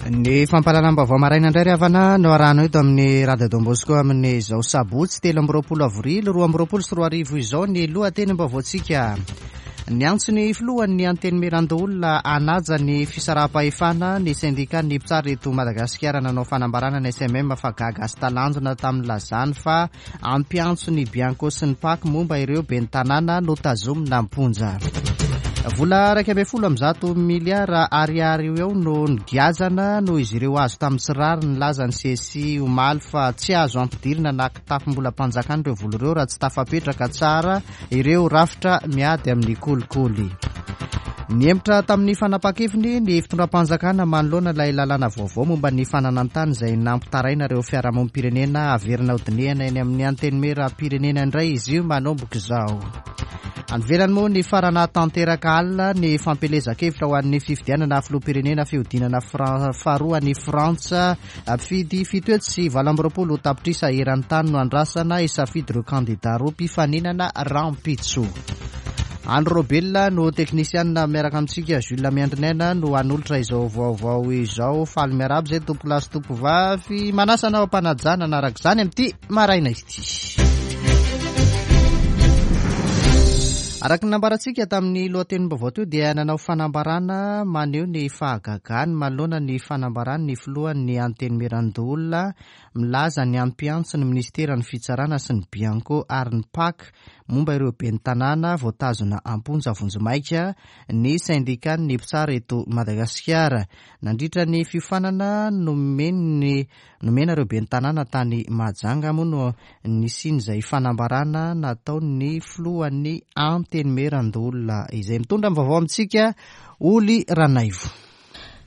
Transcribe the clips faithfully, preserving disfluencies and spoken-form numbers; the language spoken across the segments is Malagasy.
Ny fampahalalam-baovao maraina indray ry havana no arahanao eto amin'ny Radio Don Bosco amin'izao sabotsy telo amby roapolo avrily roa amby roapolo sy roa arivo izao. Ny lohatenim-baovaontsika: niantso ny filohan'ny Antenimierandoholona hanaja ny fisaraham-pahefana ny sendikan'ny mpitsara eto Madagasikara. Nanao fanambarana ny S M M fa gaga sy talanjona tamin'ny lazany fa ampiantso ny Bianco sy ny PAC momba ireo ben'ny tanàna notazomina am-ponja. Vola iraika ambin'ny folo amby zato miliara ariary eo no nogiazana noho izy ireo azo tamin'ny tsy rariny. Nilaza ny C S I omaly fa tsy azo ampidirina na kitapom-bolam-panjakana ireo vola ireo raha tsy tafapetraka tsara ireo rafitra miady amin'ny kolikoly. Nihemotra tamin'ny fanapa-keviny ny fitondram-panjakana manoloana ilay lalàna vaovao momba ny fananan-tany izay nampitaraina ireo fiarahamonim-pirenena. Averina hodinihana eny amin'ny Antenimieram-pirenena indray izy io manomboka izao. Any ivelany moa, nifarana tanteraka alina ny fampielezan-kevitra ho an'ny fifidianana filoham-pirenena fihodinana faharoa ny Frantsa. Mpifidy fito hetsy sy valo amby roapolo tapitrisa eran-tany no andrasana hisafidy ireo kandida roa mpifaninana rahampitso. Andro Robelona no teknisianina miaraka amintsika, Jules Miandrinaina no hanolotra izao vaovao izao. Faly miarahaba izay tompo lahy sy tompo vavy, manasa anao am-panajana araka izany amin'ity maraina ity. Araka ny nambarantsika tamin'ny lohatenim-baovao teo dia nanao fanambarana maneho ny fahagagany manoloana ny fanambarany ny filohan'ny Antenimierandoholona milaza ny ampiantso ny ministeran'ny fitsarana sy ny Bianco ary ny PAC momba ireo ben'ny tanàna voatazona am-ponja vonjimaika ny sendikan'ny mpitsara eto Madagasikara. Nandritra ny fiofanana nomeny nomena ireo ben'ny tanàna tany Mahajanga moa no nisian'izay fanambarana nataon'ny filohan'ny Antenimierandoholona izay. Mitondra ny vaovao amintsika Oly Ranaivo.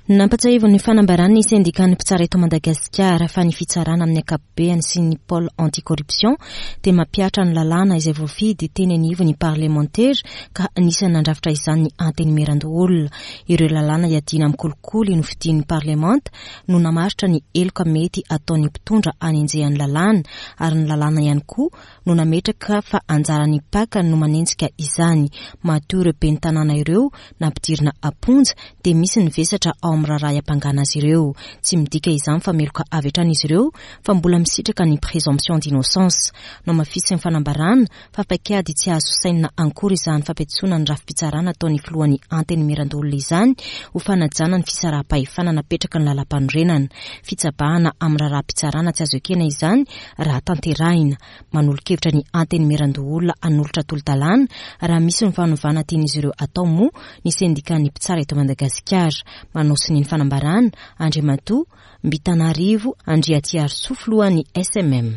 Nampatsiahivin'ny fanambarany ny sendikan'ny mpitsara eto Madagasikara fa ny fitsarana amin'ny ankapobeny sy ny pôle anticorruption dia mampihatra ny lalàna izay voafidy teny anivon'ny parlemantera, ka anisan'ny nandrafitra izany ny Antenimierandoholona. Ireo lalàna iadiana amin'ny kolikoly no fidian'ny parlemanta no namaritra ny heloka mety ataon'ny mpitondra anenjehan'ny lalàna, ary ny lalàna ihany koa no nametraka fa anjaran'ny PAC no manenjika izany. Matoa ireo ben'ny tanàna ireo nampidirina am-ponja dia misy ny vesatra ao amin'ny raharaha iampangana azy ireo. Tsy midika izany fa meloka avy hatrany izy ireo, fa mbola misitraka ny présomption d'innocence. Nohamafisin'ny fanambarana fa paikady tsy azo sainina akory izany fampiantsoana ny rafi-pitsarana ataon'ny filohan'ny Antenimierandoholona izany, ho fanajana ny fisaraham-pahefana napetraka ny lalam-panorenana. Fitsabahana amin'ny raharaha-pitsarana tsy azo ekena izany raha tanterahina. Manolo-kevitra ny Antenimierandoholona hanolotra tolo-dalàna raha misy ny fanovana tian'izy ireo atao moa ny sendikan'ny mpitsara eto Madagasikara. Manao sonia ny fanambarana Andriamatoa Mbitanarivo Andriatsiarisoa, filohan'ny S M M.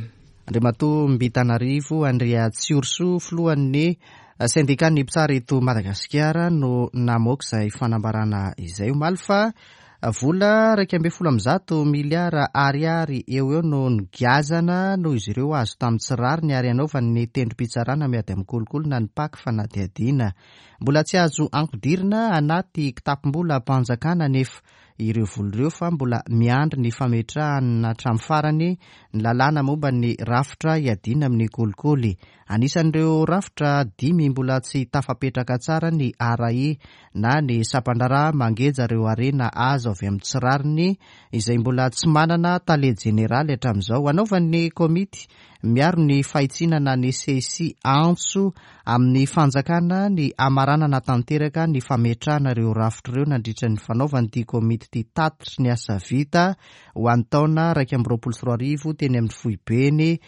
Andriamatoa Mbitanarivo Andriatsiorisoa, filohan'ny sendikan'ny mpitsara eto Madagasikara, no namoaka izay fanambarana izay omaly fa vola iraika ambin'ny folo amby zato miliara ariary eo eo no nogiazana noho izy ireo azo tamin'ny tsy rariny, ary anaovan'ny tendrom-pitsarana miady amin'ny kolikoly na ny PAC fanadihadiana. Mbola tsy azo ampidirina anaty kitapom-bolam-panjakana nefa ireo vola ireo, fa mbola miandry ny fametrahana hatramin'ny farany ny lalàna momba ny rafitra iadiana amin'ny kolikoly. Anisan'ireo rafitra dimy mbola tsy tafapetraka tsara ny A R A I na ny sampandraharaha mangeja ireo harena azo avy amin'ny tsy rariny, izay mbola tsy manana tale jeneraly hatramin'izao. Anaovan'ny komity miaro ny fahitsiana na ny C S I antso amin'ny fanjakana ny hamaranana tanteraka ny fametrahana ireo rafitra ireo nandritra ny fanaovan'ity komity ity tatitry ny asa vita ho an'ny taona iraika amby roapolo sy roa arivo teny amin'ny foibeny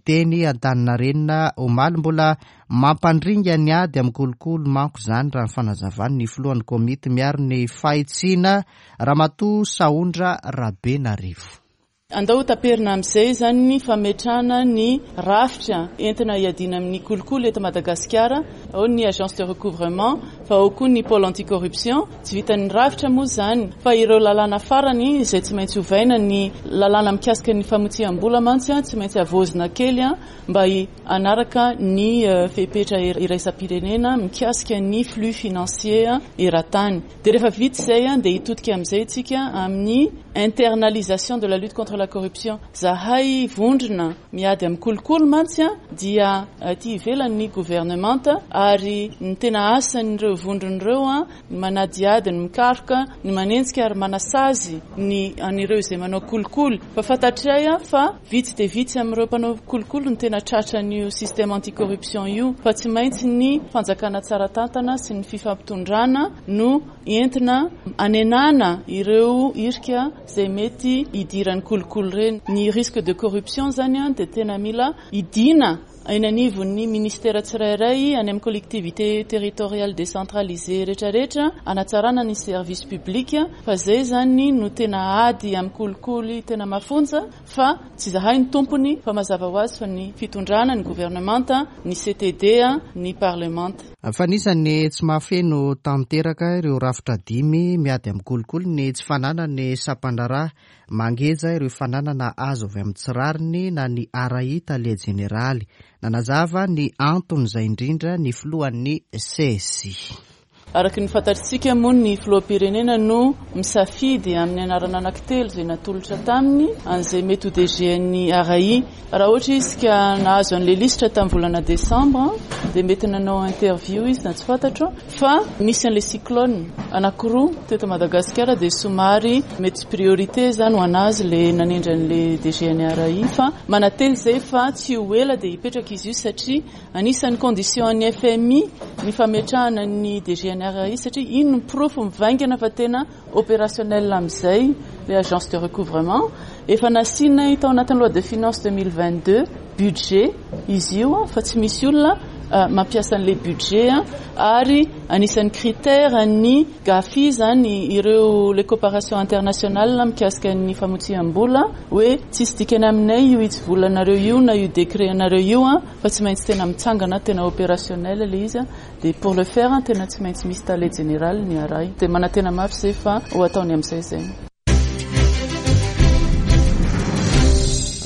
teny Antaninarenina omaly. Mbola mampandringa ny ady amin'ny kolikoly manko izany, raha ny fanazavany ny filohan'ny komity miaro ny fahitsiana, Ramatoa Sahondra Rabenarivo. Andao taperina amin'izay zany ny fametrahana ny rafitra entina iadiana amin'ny kolikoly eto Madagasikara. Ao ny agence de recouvrement, fa ao koa ny pôle anticorruption. Tsy vitan'ny rafitra moa zany, fa ireo lalàna farany izay tsy maintsy ovaina. Ny lalàna mikasika ny famotsiam-bola mantsy a tsy maintsy havaozina kely a mba hanaraka ny fepetra iraisam-pirenena mikasika ny flux financier eran-tany. Dia rehefa vita izay a dia hitodika amin'izay tsika amin'ny internalisation de la lutte contre la la corruption. Zahay vondrona miady amin'ny kolikoly mantsy dia aty ivelan'ny gouvernemanta, ary ny tena asan'ireo vondrona ireo ny manadiady, ny mikaroka, ny manenjika ary manasazy ny an'ireo izay manao kolikoly. Fa fantatray fa vitsy dia vitsy amin'ireo mpanao kolikoly no tena tratran'io système anticorruption io, fa tsy maintsy ny fanjakana tsara tantana sy ny fifampitondrana no entina anenana ireo irika izay mety hidiran'ny kolikoly ireny. Ny risque de corruption zany dia tena mila idina eny anivon'ny ministera tsirairay, any amin'ny collectivité territoriale décentralisée rehetrarehetra, anatsarana ny service public, fa zay zany no tena ady amin'ny kolikoly tena mafonja, fa tsy zahay ny tompony, fa mazava ho azy fa ny fitondrana, ny gouvernemanta, ny C T D, ny parlemanta. Fa anisan'ny tsy mahafeno tanteraka ireo rafitra dimy miady amin'ny kolikoly ny tsy fananany sampandraharaha mangeja ireo fananana azo avy amin'ny tsy rariny na ny R A I tale jeneraly. Nanazava ny anton'izay indrindra ny filohan'ny C S I. Araka ny fantatsika moa ny filoham-pirenena no misafidy amin'ny anarana anankitelo izay natolotra taminy an'izay mety ho D G an'ny R A I. Raha ohatra izy ka nahazo an'ilay lisitra tamin'ny volana desambra dia mety nanao interview izy na tsy fantatro, fa nisy an'ilay cyclone anankiroa teto Madagasikara dia somary mety priorité zany ho anazy ilay nanendry an'ilay D G an'ny R A I, fa manantena izay fa tsy ho ela dia hipetraka izy io, satria anisan'ny condition an'ny F M I ny fametrahana ny D G an'ny R A I, satria iny no porofo mivaingana fa tena opérationnel amin'izay les agences de recouvrement. Efa nasiana tao anatin'ny loi de finances deux mille vingt-deux budget izy io, fa tsy misy olona mampiasa an'ilay budget, ary anisan'ny critère ny GAFI zany ireo les coopérations internationales mikasika ny famotsiam-bola, hoe tsisy dikany aminay io hitsivolanareo io na io décret anareo io, fa tsy maintsy tena mitsangana, tena opérationnel ilay izy, dia pour le faire tena tsy maintsy misy tale général ny R A I. Dia manantena mafy izay fa ho ataony amin'izay izay.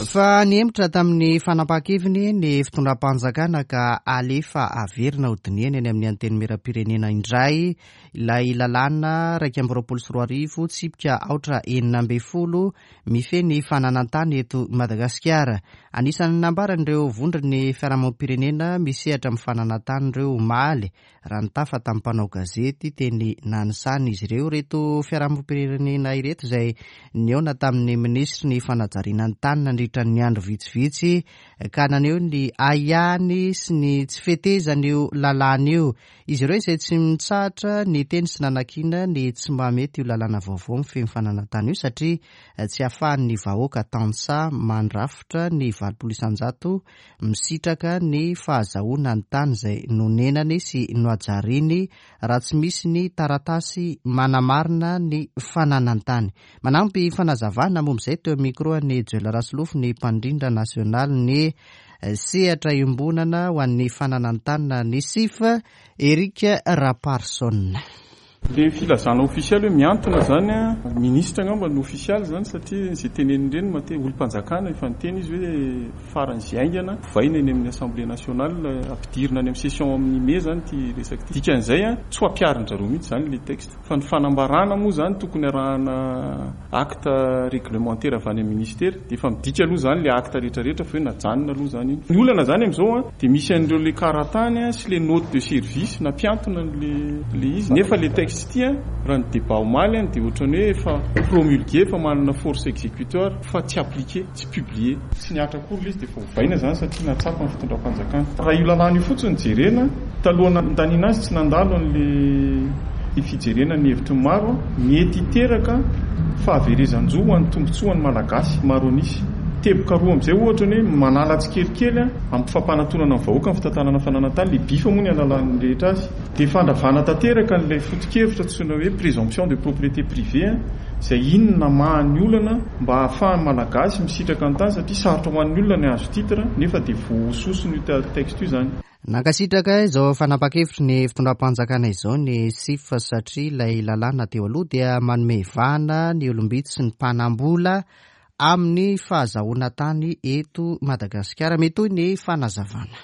Fa nihemotra tamin'ny fanapahan-keviny ny fitondram-panjakana ka alefa averina ho dinihana eny amin'ny antenimieram-pirenena indray ilay lalàna iraika amby roapolo sy roa arivo tsipika aotra enina ambin'ny folo mifehy ny fananan-tany eto Madagasikara. Anisan'ny nambaran'ireo vondron'ny fiarahamonim-pirenena misehatra amin'ny fananan-tany ireo omaly raha nitafa tamin'ny mpanao gazety teny Nanisana izy ireo. Ireto fiarahamonim-pirenena ireto izay nihaona tamin'ny minisitry ny fanajariana ny tany nandritra ny andro vitsivitsy ka naneho ny ahiahiny sy ny tsy fetezan'io lalàna io. Izy ireo izay tsy mitsahatra ny teny sy nanakiana ny tsy mahamety io lalàna vaovao mifehy ny fananan-tany io, satria tsy ahafahan'ny vahoaka tantsaha mandrafitra ny valopolo isanjato misitraka ny fahazahoana ny tany izay nonenany sy nohajariny raha tsy misy ny taratasy manamarina ny fananan-tany. Manampy fanazavana momba izay teo micro an'i Joel Rasolofo ny mpandrindra nasionaly ny sehatra iombonana ho an'ny fananan-tany ny S I F, Eric Raparson. Le filazana ofisialy hoe miantona zany, ministra angamba no ofisialy zany, satria izay teneniny ireny mate olom-panjakana efa niteny izy hoe faran'izay haingana ovaina eny amin'ny Assemblée nationale, ampidirina any amin'ny session amin'ny mai zany ity resaka ity. Dikan'izay a, tsy ho ampiharin-jareo mihitsy zany le texte, fa ny fanambarana moa zany tokony arahana acte réglementaire avy any amin'ny ministère, dia efa midika aloha zany le acte rehetrarehetra fa hoe najanona aloha zany iny. Ny olana zany amin'izao a, dia misy an'ireo le karatany sy le note de service nampiantona an'le le izy, nefa le texte ity a, raha ny débat omaly a, dia ohatran'ny hoe efa promulgué, efa manana force exécutoire fa tsy appliqué, tsy publié, tsy niatra akory ilay izy, dia efa ovaina zany satria natsapa ny fitondram-panjakana. Raha io lalàna io fotsiny jerena, taloha nandaniana azy tsy nandalo an'le fijerena ny hevitry ny maro, mety hiteraka fahaverezan-jo ho an'ny tombontsoan'ny Malagasy maro an'isa. Teboka roa amin'izay ohatra ny hoe manala tsikelikely amin'ny fampanatonana ny vahoaka ny fitantanana fananan-tany, le bifa moa ny alalan'ny rehetra azy, dia fandravana tanteraka an'ilay foto-kevitra antsoina hoe présomption de propriété privée, izay inona namaha ny olana mba hahafahan'ny Malagasy misitraka ny tany, satria sarotra ho an'ny olona ny hahazo titre nefa dia voahososiny io texte io zany. Nankasitraka izao fanapahan-kevitry ny fitondram-panjakana izao ny S I F, satria ilay lalàna teo aloha dia manome vahana ny olom-bitsy sy ny mpanam-bola amin'ny fahazahoana tany eto Madagasikara. Mitohy ny fanazavana.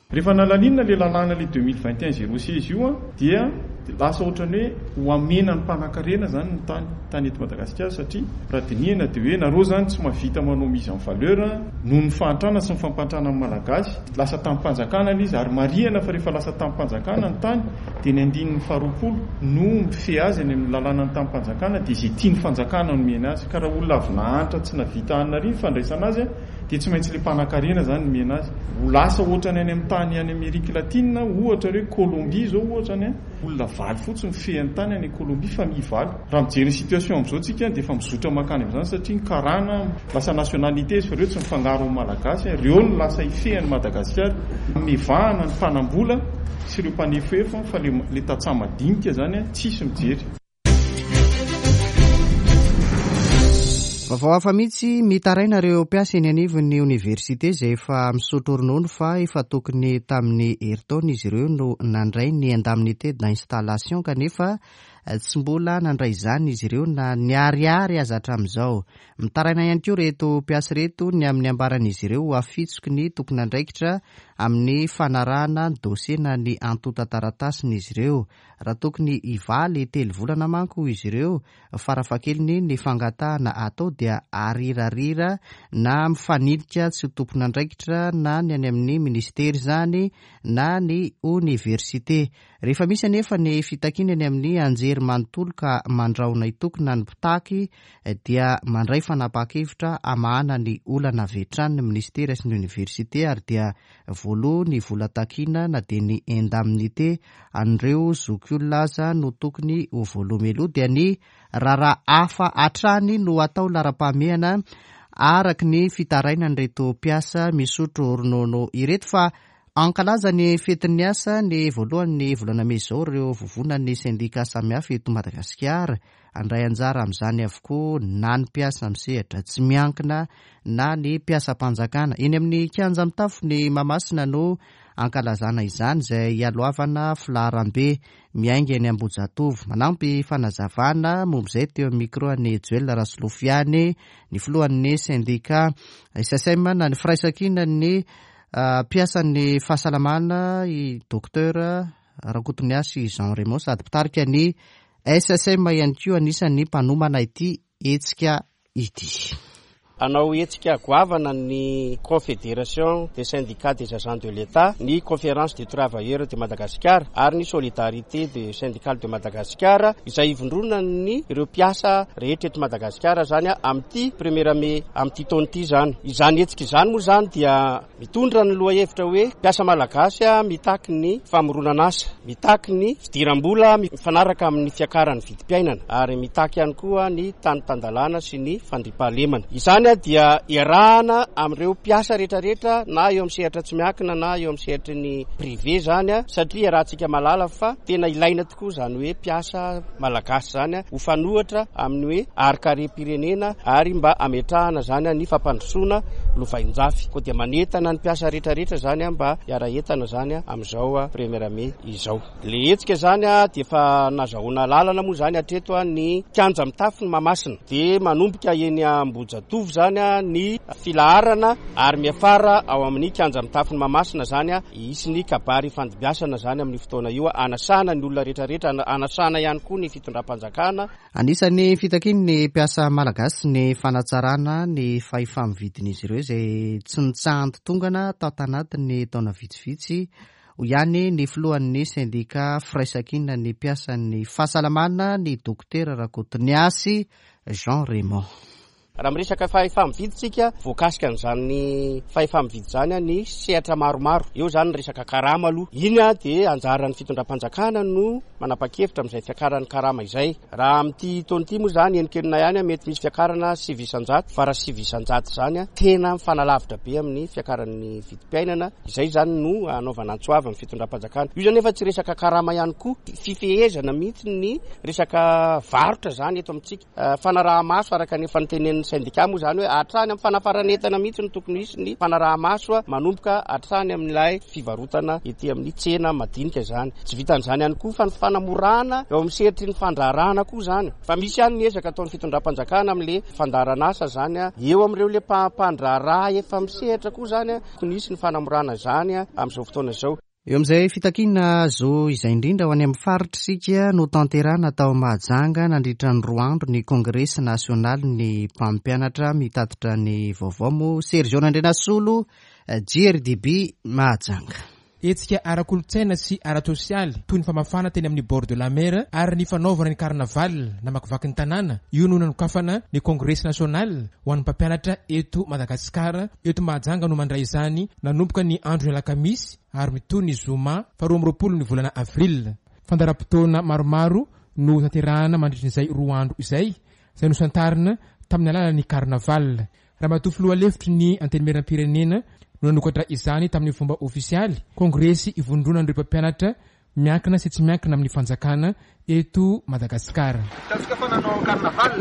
Rehefa nalalinina le lalàna le deux mille vingt et un zéro seize io a, dia Dia lasa ohatrany hoe ho amena ny mpanan-karena zany ny tany tany eto Madagasikara, satria raha dinihana dia hoe nareo zany tsy mahavita manao mise en valeur noho ny fahantrana sy ny fampantrana amin'ny Malagasy. Lasa tanim-panjakana ilay izy, ary marihana fa rehefa lasa tanim-panjakana ny tany dia ny andininy faharoapolo no mifehy azy any amin'ny lalànan'ny tanim-panjakana, dia izay tian'ny fanjakana no omena azy. Ka raha olona avy nahantra tsy nahavita hanina ry ny fandraisana azy dia tsy maintsy ilay mpanan-karena zany no omena azy. Ho lasa ohatrany any amin'ny tany any Amerika Latina, ohatra hoe Colombie zao ohatrany, olona valo fotsiny mifehy ny tany any Colombie, famille valo. Raha mijery ny situation amin'izao tsika dia efa mizotra mankany amin'izany, satria ny karana lasa nationalité izy fa ireo tsy mifangaro amin'ny Malagasy, ireo no lasa hifehy an'i Madagasikara. Mivahana ny mpanambola sy ireo mpanefoefo, fa le, le tantsaha madinika zany tsisy mijery. Vaovao hafa mihitsy, mitaraina ireo mpiasa eny anivon'ny oniversite izay efa misotro ronono fa efa tokony tamin'ny herintaona izy ireo no nandray ny indemnité d'installation, kanefa tsy mbola nandray izany izy ireo na niariary aza hatramin'izao. Mitaraina ihany koa ireto mpiasa ireto ny amin'ny ambaran'izy ireo ho afitsoky ny tompon'andraikitra amin'ny fanarahana ny dossier na ny antontan-taratasin'izy ireo. Raha tokony hivaly telo volana manko izy ireo, farafahakeliny ny fangatahana atao dia arirarira na mifanilika tsy ho tompon'andraikitra na ny any amin'ny ministera izany na ny oniversite. Rehefa misy anefa ny fitakiana eny amin'ny anjery manontolo ka mandrahona hitokona ny mpitaky dia mandray fanapahan-kevitra hamahana ny olana avy hatrany ny ministera sy ny oniversite, ary dia voaloha ny vola takiana na dia ny indemnité an'ireo zokiolona aza no tokony ho voaloha mialoha, dia ny raharaha hafa hatrany no atao laharam-pahamehana araka ny fitarainan'ireto mpiasa misotro ronono ireto. Fa ankalaza ny fetin'ny asa ny voalohan'ny volana mey izao ireo vovonan'ny sendika samihafa eto Madagasikara. Handray anjara amin'izany avokoa na ny mpiasa misehatra tsy miankina na ny mpiasam-panjakana. Eny amin'ny kianja mitafo ny Mahamasina no ankalazana izany, izay hialohavana filaharambe miainga eny Ambohijatovo. Manampy fanazavana momba izay teo amin'ny micro an'i Joel Rasolofiany, ny filohan'ny sendika S S M na ny firaisankinan'ny mpiasan'ny fahasalamana, i Docteur Rakotoniasy Jean Raymond, sady mpitarika ny S S M ihany koa, anisan'ny mpanomana ity hetsika ity. Hanao hetsika goavana ny Confédération des syndicats des agents de l'État, ny Conférence des travailleurs de Madagascar ary ny Solidarité des syndicales de Madagascar, izay ivondronan'ny ireo mpiasa rehetra eto Madagasikara zany amin'ity premier mai amin'ity taona ity zany. Izany hetsika izany moa zany dia mitondra ny lohahevitra hoe mpiasa malagasy mitaky ny famoronana asa, mitaky ny fidiram-bola mifanaraka amin'ny fiakaran'ny vidim-piainana ary mitaky ihany koa ny tany tan-dalàna sy ny fandriampahalemana. Izany dia iarahana amin'ireo mpiasa rehetrarehetra na eo amin'ny sehatra tsy miankina na eo amin'ny sehatry ny privé zany, satria iarahantsika mahalala fa tena ilaina tokoa izany hoe mpiasa malagasy zany ho fanohatra amin'ny hoe harin-karem-pirenena ary mba hametrahana zany ny fampandrosoana lovainjafy. Koa dia manentana ny mpiasa rehetrarehetra zany mba hiara-entana zany amin'izao premier mai izao. Le hetsika zany dia efa nazahoana lalana moa zany hatreto ny kianja mitafo ny Mahamasina, dia manomboka eny Ambohijatovo zany ny filaharana ary miafara ao amin'ny kianja mitafo ny Mahamasina zany hisy ny kabary fandimbiasana zany amin'ny fotoana io, anasana ny olona rehetrarehetra, anasana ihany koa ny fitondram-panjakana. Anisan'ny fitakian'ny mpiasa malagasy ny fanatsarana ny fahefa-mividin'izy ireo izay tsy nitsahan-tongana tao tanatin'ny taona vitsivitsy. Hoy ihany ny filohan'ny sendika firaisankinan'ny mpiasan'ny fahasalamana, ny Dokotera Rakotoniasy Jean Raymond. Raha miresaka fahefa-mividy tsika, voakasika an'izany fahefa-mividy izany ny sehatra maromaro. Eo izany ny resaka karama aloha. Iny dia anjaran'ny fitondram-panjakana no manapa-kevitra amin'izay fiakaran'ny karama izay. Raha amin'ity taona ity moa izany enikenina ihany mety misy fiakarana sivy isan-jato, fa raha sivy isan-jato izany tena mifanalavitra be amin'ny fiakaran'ny vidim-piainana. Izay izany no anaovana antso avo amin'ny fitondram-panjakana. Io izany efa tsy resaka karama ihany koa, fifehezana mihitsy ny resaka varotra izany eto amintsika. Fanaraha-maso araka ny efa notenenin'ny sendika moa izany hoe hatrany amin'ny fanafaran'entana mihitsy no tokony hisy ny fanaraha-maso manomboka hatrany amin'ilay fivarotana ety amin'ny tsena madinika izany. Tsy vitan'izany ihany koa fa ny fanamorana eo amin'ny sehatry ny fandraharahana koa izany. Fa misy ihany ny ezaka ataon'ny fitondram-panjakana amin'ilay fandaharan'asa izany, eo amin'ireo ilay mpandraharaha efa misehatra koa izany, tokony hisy ny fanamorana izany amin'izao fotoana izao. Eo amin'izay fitakiana zo izay indrindra ho any amin'ny faritra isika no tanterahana tao Mahajanga nandritra ny roa andro ny kongresy nasionaly ny mpampianatra. Mitatitra ny vaovao moa Sergio Nandrenasolo, J R D B Mahajanga. Hetsika ara-kolontsaina sy ara-tsosialy toy ny famafana teny amin'ny bord de la mer ary ny fanaovana ny carnaval namakivaky ny tanàna io no nanokafana ny kongresy national ho an'ny mpampianatra eto Madagasikara. Eto Mahajanga no mandray izany nanomboka ny andro ny alakamisy ary mitohy ny zoma faharoa amby roapolo ny volana avril. Fandaharam-potoana maromaro no tanterahana mandritry n'izay roa andro izay, izay nosantarina tamin'ny alalan'ny carnaval. Ramatoa filoha lefitry ny Antenimieram-pirenena no nanokatra izany tamin'ny fomba ofisialy. Kongresy ivondronan'ireo mpampianatra miankina sy tsy miankina amin'ny fanjakana eto Madagasikara. Hitantsika fa nanao carnaval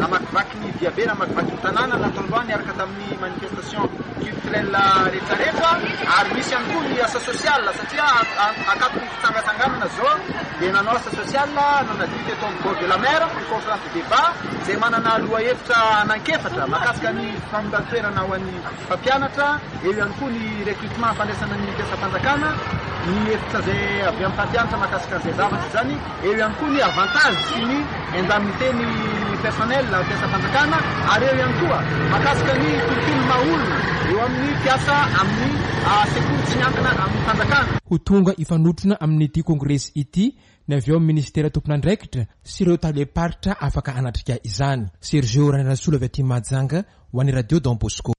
namakivaky ny diabe, namakivaky ny tanàna natao androany niaraka tamin'ny manifestation culturelle rehetrarehetra, ary misy ihany koa ny asa social satria akatony fitsangatsanganana zao dia nanao asa social, nanadio teto amin'ny bord de la mer. Ny conférence de débat izay manana loha hevitra anankefatra mahakasika ny famindran-toerana ho an'ny mpampianatra, eo ihany koa ny recrutement, fandraisana ny mpiasam-panjakana, ny hevitra zay avy amin'ny mpampianatra mahakasika an'izay zavatra zany, eo ihany koa ny avantage sy ny indemnité ny personnel mpiasam-panjakana, ary eo ihany koa mahakasika ny tontolo maha-olona eo amin'ny mpiasa amin'ny sekoly tsy miankina amin'ny fanjakana. Ho tonga ifanotrona amin'ity kongresy ity ny avy eo amin'ny ministera tompon'andraikitra sy ireo talem-paritra afaka hanatrika izany. Sergio Ranarasolo avy aty Mahajanga ho an'ny Radio Don Bosco.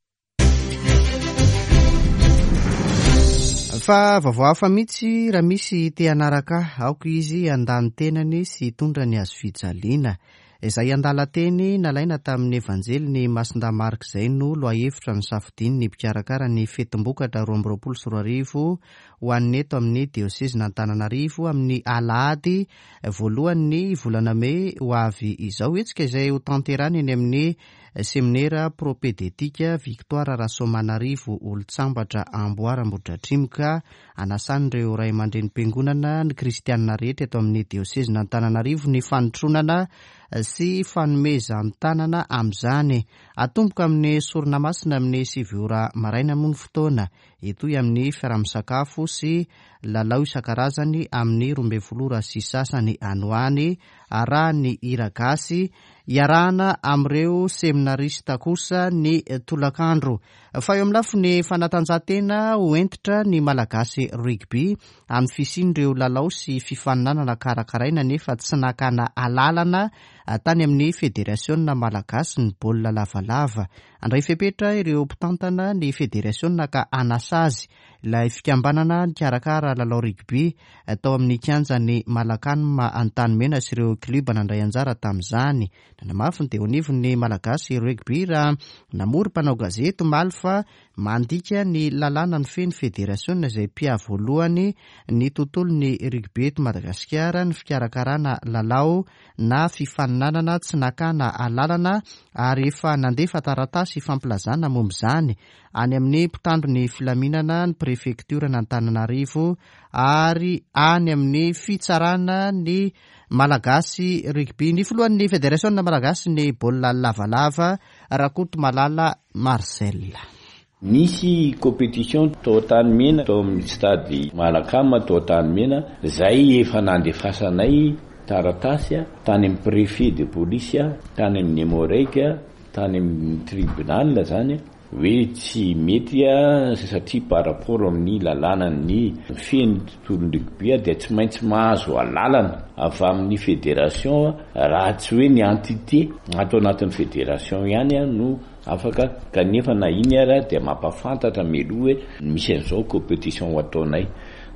Fa vaovao hafa mihitsy: raha misy te hanaraka, aoka izy handà ny tenany sy hitondra ny hazo fijaliana. Izay andalan-teny nalaina tamin'ny Evanjely ny Masindahy Marka izay no lohahevitra ny safidiny ny mpikarakara ny fetim-bokatra roa amby roapolo sy roa arivo ho an'ny eto amin'ny diosezina Antananarivo amin'ny alahady voalohany volana mey ho avy izao. Hetsika izay ho tanterahina eny amin'ny seminera propédeutique Victoire Rasoamanarivo Olontsambatra Amboara Ambohidratrimo, anasan'ireo ray aman-drenim-piangonana, ny kristianina rehetra eto amin'ny diosezina Antananarivo ny fanotronana sy fanomezan-tanana amin'izany. Atomboka amin'ny sorona masina amin'ny sivy ora maraina moa ny fotoana, etoy amin'ny fiaraha-misakafo sy lalao isan-karazany amin'ny roa ambin'ny folo ora sy sasany anoany, arahan'ny hira gasy iarahana amin'ireo seminarista kosa ny tolakandro. Fa eo amin'ny lafiny fanatanjahantena, ho hentitra ny Malagasy rugby amin'ny fisian'ireo lalao sy fifaninanana karakaraina nefa tsy nakana alalana tany amin'ny Federasiona Malagasy ny baolina lavalava. Andray fepetra ireo mpitantana ny federasiona ka anasazy ilay fikambanana nikarakara lalao rugby tao amin'ny kianjan'ny Malacam Antanimena sy ireo kluba nandray anjara tamin'izany. Nanamafy ny teo anivon'ny Malagasy rugby raha namory mpanao gazety omaly fa mandika ny lalàna ny feny federasiona izay mpia voalohany ny tontolo ny rugby eto Madagasikara ny fikarakarana lalao na fifaninanana tsy nakana alalana, ary efa nandefa taratasy fampilazana momba izany any amin'ny mpitandro ny filaminana, ny prefektiora n'Antananarivo ary any amin'ny fitsarana ny Malagasy rugby. Ny filohan'ny Federasiona Malagasy ny baolina lavalava, Rakoto Malala Marcel. Nisy compétition tao Antanimena, tao amin'ny stade Malacam tao Antanimena zay efa nandefasanay taratasy a tany amin'ny préfet de police, a tany amin'ny Emmo-Reg, tany amin'ny tribunal zany hoe tsy mety a satria par rapport amin'ny lalànany feny tontolon'ny rugby a dia tsy maintsy mahazo alalana avy amin'ny fédération, raha tsy hoe ny entité atao anatin'ny fédération ihany a no afaka. Kanefa na iny ara dia mampafantatra mialoha hoe misy an'izao compétition ho ataonay,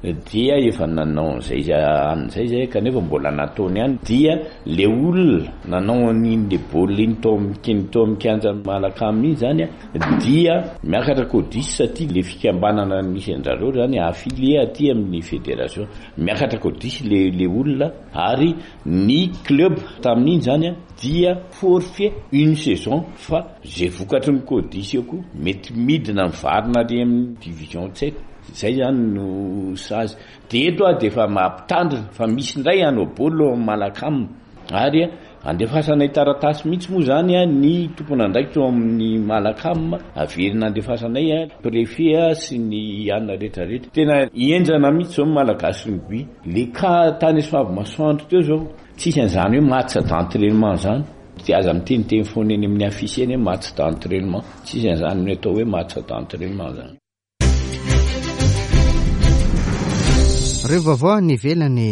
dia efa nanao an'izay an'izay zay, kanefa mbola nataony ihany. Dia le olona nanao an'iny le baolina iny tao amin'ny tao amin'ny kianja Malacam iny zany a dia miakatra codis satria le fikambanana misy an-drareo zany affilié aty amin'ny fédération, miakatra codis le le olona, ary ny club tamin'iny zany a dia forfait une saison. Fa zay vokatry ny codis eo koa mety midina mivarina ary amin'ny division, tsy haiko zay zany no sazy. De eto a de efa mampitandrina fa misy indray anao baolina ao Malacam ary Andefasanay taratasy mihitsy moa zany a ny tompon'andraikitra ao amin'ny Malacam, averina andefasanay a préfet sy ny anina rehetrarehetra. Tena enjana mihitsy zao Malagasy rugby. Le cas tany Soavimasoandro teo zao, tsisy an'izany hoe match d'entraînement zany. Dia aza miteniteny foana eny amin'ny affiche eny hoe match d'entraînement. Tsisy an'izany ny atao hoe match d'entraînement zany. Ireo vaovao any ivelany.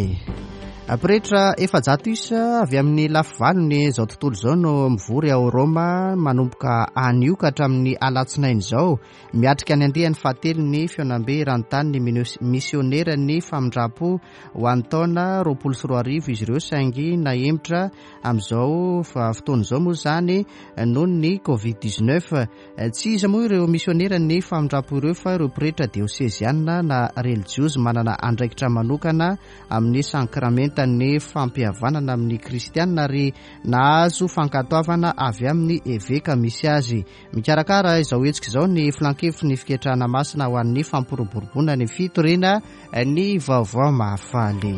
Pretra efajato isa avy amin'ny lafivalony izao tontolo izao no mivory ao Roma manomboka anio ka hatramin'ny alatsinainy izao, miatrika ny andiany fahatelo ny fihaonambe eran-tany ny misioneran'ny famindram-po ho an'ny taona roapolo sy roa arivo izy ireo, saingy nahemotra amin'izao fotoana izao moa izany noho ny covid dix-neuf. Tsy iza moa ireo misioneran'ny famindram-po ireo fa ireo pretra dioseziana na relijiozy manana andraikitra manokana amin'ny sakramentan'ny fampihavanana amin'ny kristianina ary nahazo fankatoavana avy amin'ny eveka misy azy. Mikarakara izao hetsika izao ny filankevitry ny fiketrahana masina ho an'ny fampiroboroboana ny fitoriana ny vaovao mahafaly.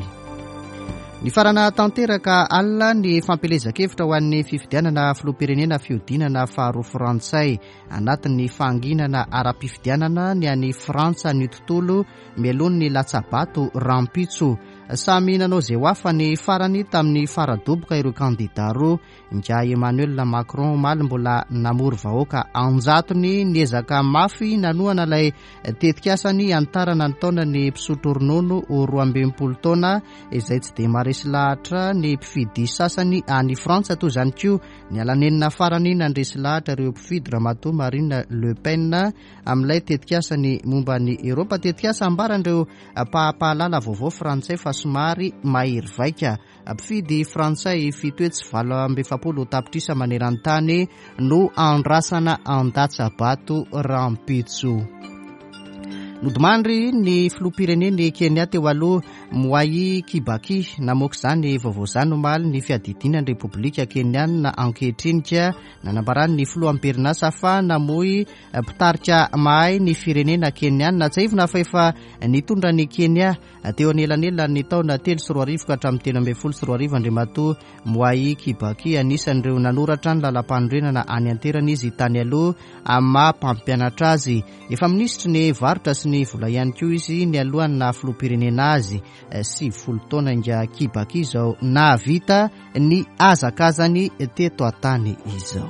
Nifarana tanteraka alina ny fampielezan-kevitra ho an'ny fifidianana filoham-pirenena fihodinana faharoa frantsay. Anatin'ny fahanginana ara-pifidianana ny any Frantsa ny tontolo mialoha ny latsabato rahampitso. Samy nanao izay ho hafa ny farany tamin'ny faradoboka ireo kandida roa. Ingahy Emmanuel Macron omaly mbola namory vahoaka anjatony niezaka mafy nanohana ilay tetikasany hanitarana ny taonan'ny mpisotro ronono ho roa amby enimpolo taona izay tsy dia maharesy lahatra ny mpifidy sasany any Frantsa. Toy izany koa ny alanenina farany nandresy lahatra ireo mpifidy Ramatoa Marine Le Pen amin'ilay tetikasany momba ny Eropa, tetikasa ambaran'ireo mpampahalala vaovao frantsay fa somary mahery vaika. Mpifidy frantsay fito hetsy valo amby efapolo tapitrisa maneran-tany no andrasana an-datsabato rahampitso. Nodimandry ny filoham-pirenen'i Kenya teo aloha Mwai Kibaki. Namoaka izany vaovao izany omaly ny fiadidiana ny Repoblika Kenyana ankehitriny ka nanambarany ny filoham-pirenasa fa namoy mpitarika mahay ny firenena Kenyana. Tsiahivina fa efa nitondra ny Kenya teo anelanelan'ny taona telo sy roa arivo ka hatramin'ny telo ambin'ny folo sy roa arivo Andriamatoa Mwai Kibaki. Anisan'ireo nanoratra ny lalam-panorenana any an-toerana izy tany aloha amin'ny maha mpampianatra azy. Efa minisitry ny varotra sy ny vola ihany koa izy ny alohan'ny naha filoham-pirenena azy. Sivifolo taona ingahy Kibaki izao nahavita ny hazakazany teto an-tany izao.